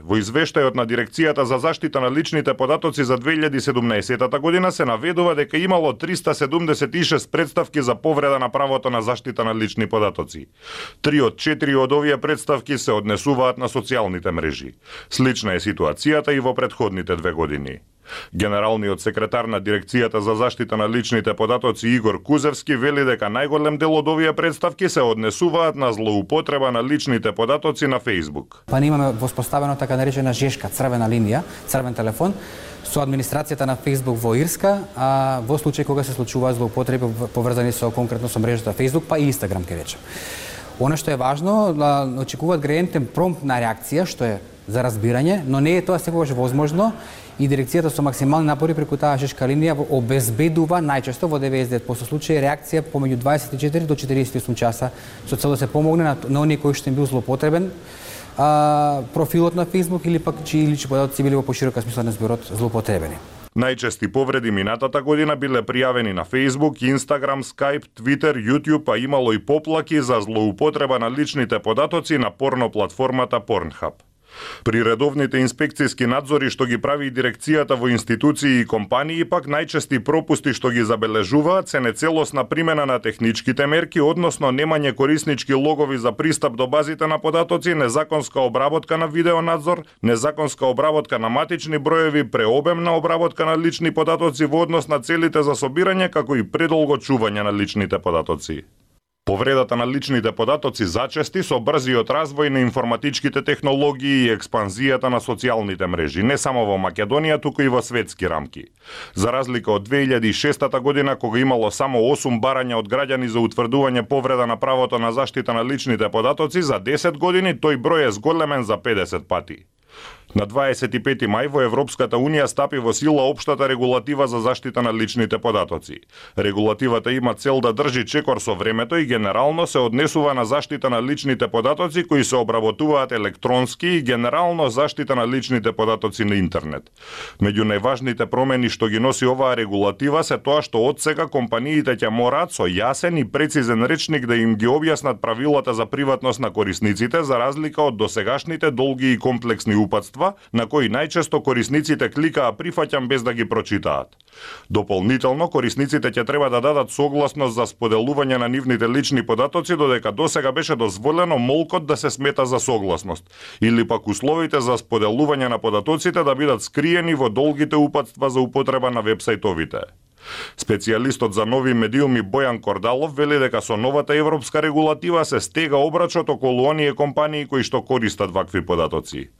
Во извештајот на Дирекцијата за заштита на личните податоци за 2017 година се наведува дека имало 376 представки за повреда на правото на заштита на лични податоци. 3 од 4 од овие представки се однесуваат на социјалните мрежи. Слична е ситуацијата и во претходните 2 години. Генералниот секретар на Дирекцијата за заштита на личните податоци Игор Кузевски вели дека најголем дел од овие представки се однесуваат на злоупотреба на личните податоци на Facebook. Па имаме воспоставено така наречена жешка, црвена линија, црвен телефон со администрацијата на Facebook во Ирска, а во случај кога се случуваат злоупотреби поврзани со конкретно со мрежата Facebook, па и Instagram ке речем. Она што е важно, очекуваат граѓаните промптна реакција, што е за разбирање, но не е тоа секогаш возможно и дирекцијата со максимални напори преку таа жешка линија обезбедува најчесто во 99% случаи реакција помеѓу 24 до 48 часа со цел да се помогне на оние кои што им бил злоупотребен профилот на Facebook или пак чии лични податоци били во поширока смисла на зборот злоупотребени. Најчести повреди минатата година биле пријавени на Facebook, Instagram, Skype, Twitter, YouTube, а имало и поплаки за злоупотреба на личните податоци на порно платформата Pornhub. При редовните инспекцијски надзори што ги прави дирекцијата во институции и компании, пак најчести пропусти што ги забележуваат се нецелосна примена на техничките мерки, односно немање кориснички логови за пристап до базите на податоци, незаконска обработка на видеонадзор, незаконска обработка на матични броеви, преобемна обработка на лични податоци во однос на целите за собирање, како и предолго чување на личните податоци. Повредата на личните податоци зачести со брзиот развој на информатичките технологии и експанзијата на социјалните мрежи, не само во Македонија, туку и во светски рамки. За разлика од 2006 година, кога имало само 8 барања од граѓани за утврдување повреда на правото на заштита на личните податоци, за 10 години тој број е зголемен за 50 пати. На 25 мај во Европската Унија стапи во сила општата регулатива за заштита на личните податоци. Регулативата има цел да држи чекор со времето и генерално се однесува на заштита на личните податоци кои се обработуваат електронски и генерално заштита на личните податоци на интернет. Меѓу најважните промени што ги носи оваа регулатива се тоа што одсега компаниите ќе мораат со јасен и прецизен речник да им ги објаснат правилата за приватност на корисниците, за разлика од досегашните долги и комплексни упатства на кои најчесто корисниците кликаа прифаќам без да ги прочитаат. Дополнително, корисниците ќе треба да дадат согласност за споделување на нивните лични податоци, додека досега беше дозволено молкот да се смета за согласност, или пак условите за споделување на податоците да бидат скриени во долгите упатства за употреба на вебсајтовите. Специјалистот за нови медиуми Бојан Кордалов вели дека со новата европска регулатива се стега обрачот околу оние компании кои што користат вакви податоци.